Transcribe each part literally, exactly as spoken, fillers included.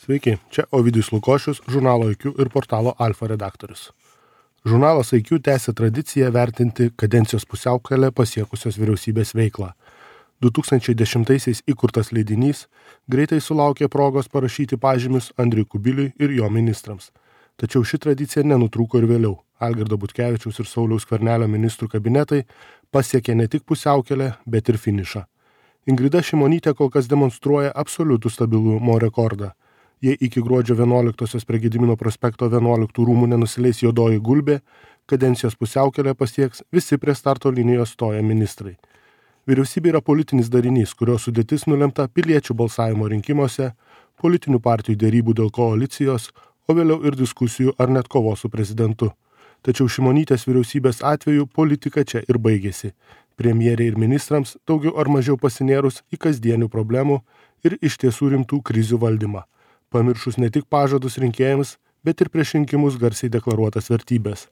Sveiki, čia Ovidijus Lukošius, žurnalo I Q ir portalo Alfa redaktorius. Žurnalas I Q tęsia tradiciją vertinti kadencijos pusiaukelę pasiekusios vyriausybės veiklą. du tūkstančiai dešimtaisiais įkurtas leidinys greitai sulaukė progos parašyti pažymius Andriui Kubiliui ir jo ministrams. Tačiau ši tradicija nenutrūko ir vėliau. Algirdo Butkevičiaus ir Sauliaus Skvernelio ministrų kabinetai pasiekė ne tik pusiaukelę, bet ir finišą. Ingrida Šimonytė kol kas demonstruoja absoliutų stabilumo rekordą. Jei iki gruodžio vienuoliktosios prie Gedimino prospekto vienuoliktų rūmų nenusileis juodoji gulbė, kadencijos pusiaukelę pasieks visi prie starto linijos stoję ministrai. Vyriausybė yra politinis darinys, kurio sudėtis nulemta piliečių balsavimo rinkimuose, politinių partijų dėrybų dėl koalicijos, o vėliau ir diskusijų ar net kovos su prezidentu. Tačiau Šimonytės vyriausybės atveju politika čia ir baigėsi. Premjerei ir ministrams daugiau ar mažiau pasinėrus į kasdienių problemų ir iš tiesų rimtų krizių valdymą. Pamiršus ne tik pažadus rinkėjams, bet ir prieš rinkimus garsiai deklaruotas vertybės.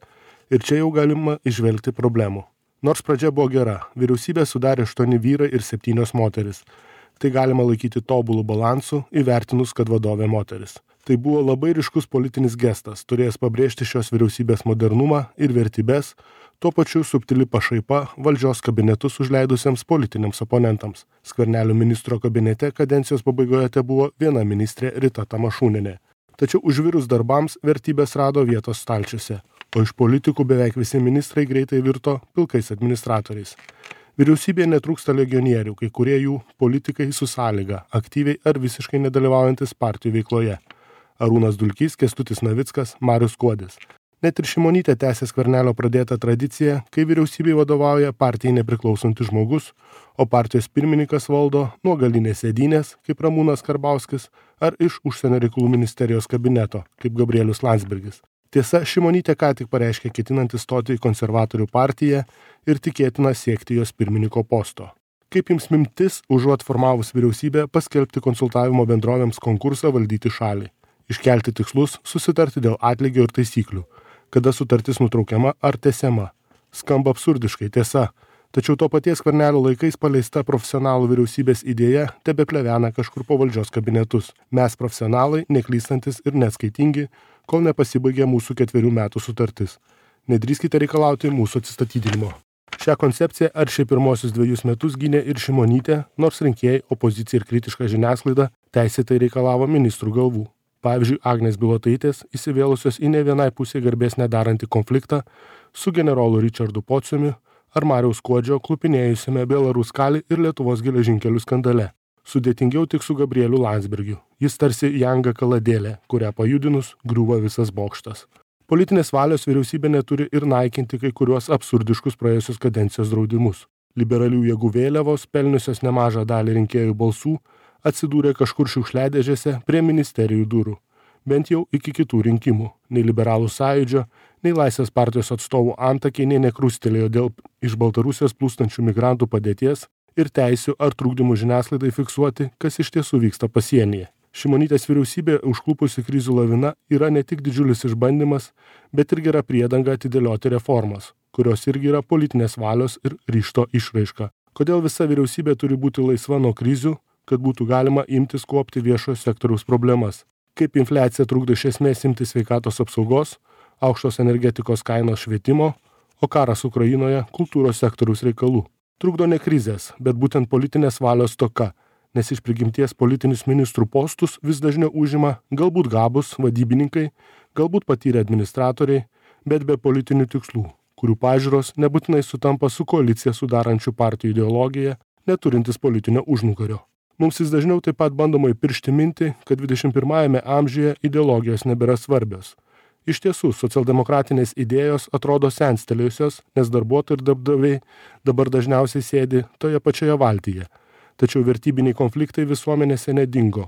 Ir čia jau galima išvelgti problemų. Nors pradžia buvo gera, vyriausybė sudarė aštuoni vyrai ir septynios moteris. Tai galima laikyti tobulų balansų, įvertinus, kad vadovė moteris. Tai buvo labai ryškus politinis gestas, turėjęs pabrėžti šios vyriausybės modernumą ir vertybės, tuo pačiu subtili pašaipa valdžios kabinetus užleidusiems politiniams oponentams. Skvernelio ministro kabinete kadencijos pabaigoje te buvo viena ministrė Rita Tamašūnienė. Tačiau užvirus darbams vertybės rado vietos stalčiuose, o iš politikų beveik visi ministrai greitai virto pilkais administratoriais. Vyriausybėje netrūksta legionierių, kai kurie jų politikai su sąlyga, aktyviai ar visiškai nedalyvaujantis partijų veikloje. Arūnas Dulkys, Kęstutis Navickas, Marius Skuodis. Net ir Šimonytė tęsė Skvernelio pradėtą tradiciją, kai vyriausybei vadovauja partijai nepriklausantis žmogus, o partijos pirmininkas valdo nuo galinės sėdynės, kaip Ramūnas Karbauskis, ar iš užsienio reikalų ministerijos kabineto, kaip Gabrielius Landsbergis. Tiesa, Šimonytė ką tik pareiškė ketinantį stoti į konservatorių partiją ir tikėtina siekti jos pirmininko posto. Kaip jums mintis, užuot formavus vyriausybę, paskelbti konsultavimo bendrovėms konkursą valdyti šalį? Iškelti tikslus, susitarti dėl atlygio ir taisyklių, kada sutartis nutraukiama ar tęsiama. Skamba absurdiškai, tiesa, tačiau to paties Skvernelio laikais paleista profesionalų vyriausybės idėja tebeplevena kažkur po valdžios kabinetus. Mes profesionalai, neklystantis ir neatskaitingi, kol nepasibaigė mūsų ketverių metų sutartis. Nedrįskite reikalauti mūsų atsistatydinimo. Šią koncepciją ar šiai pirmosius dviejus metus gynė ir Šimonytė, nors rinkėjai, opozicija ir kritiška žiniasklaida teisėtai reikalavo ministrų galvų. Pavyzdžiui, Agnės Bilotaitės įsivėlusios į ne vienai pusė garbės nedarantį konfliktą su generolu Richardu Pociumi ar Mariaus Skuodžio klupinėjusiame Belaruskalį ir Lietuvos geležinkelių skandale. Sudėtingiau tik su Gabrieliu Landsbergiu. Jis tarsi janga kaladėlė, kurią pajudinus griūva visas bokštas. Politinės valios vyriausybė neturi ir naikinti kai kuriuos absurdiškus praėjusios kadencijos draudimus. Liberalių jėgų vėliavos, pelniusios nemažą dalį rinkėjų balsų, atsidūrė kažkur šiukšliadėžėse prie ministerijų durų. Bent jau iki kitų rinkimų. Nei liberalų sąjūdžio, nei Laisvės partijos atstovų antakiai nei nekrustelėjo dėl iš Baltarusijos plūstančių migrantų padėties ir teisių ar trukdymų žiniasklaidai fiksuoti, kas iš tiesų vyksta pasienyje. Šimonytės vyriausybė užklupusi krizių lavina yra ne tik didžiulis išbandymas, bet ir gera priedanga atidėlioti reformas, kurios irgi yra politinės valios ir ryžto išraiška. Kodėl visa vyriausybė turi būti laisva nuo krizių, kad būtų galima imtis kuopti viešojo sektoriaus problemas? Kaip infliacija trukdo iš esmės imtis sveikatos apsaugos, aukštos energetikos kainos švietimo, o karas Ukrainoje kultūros sektoriaus reikalų? Trukdo ne krizės, bet būtent politinės valios stoka, nes iš prigimties politinius ministrų postus vis dažniau užima galbūt gabūs vadybininkai, galbūt patyrę administratoriai, bet be politinių tikslų, kurių pažiūros nebūtinai sutampa su koaliciją sudarančių partijų ideologija, neturintis politinio užnugario. Mums vis dažniau taip pat bandoma įpiršti mintį, kad dvidešimt pirmajame amžiuje ideologijos nebėra svarbios. Iš tiesų, socialdemokratinės idėjos atrodo senstelėjusios, nes darbuotojai ir darbdaviai dabar dažniausiai sėdi toje pačioje valtyje. Tačiau vertybiniai konfliktai visuomenėse nedingo,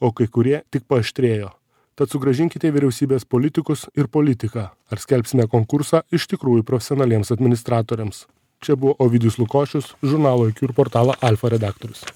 o kai kurie tik paaštrėjo. Tad sugrąžinkite vyriausybės politikus ir politiką, ar skelbsime konkursą iš tikrųjų profesionaliems administratoriams. Čia buvo Ovidijus Lukošius, žurnalo I Q ir portalo Alfa redaktorius.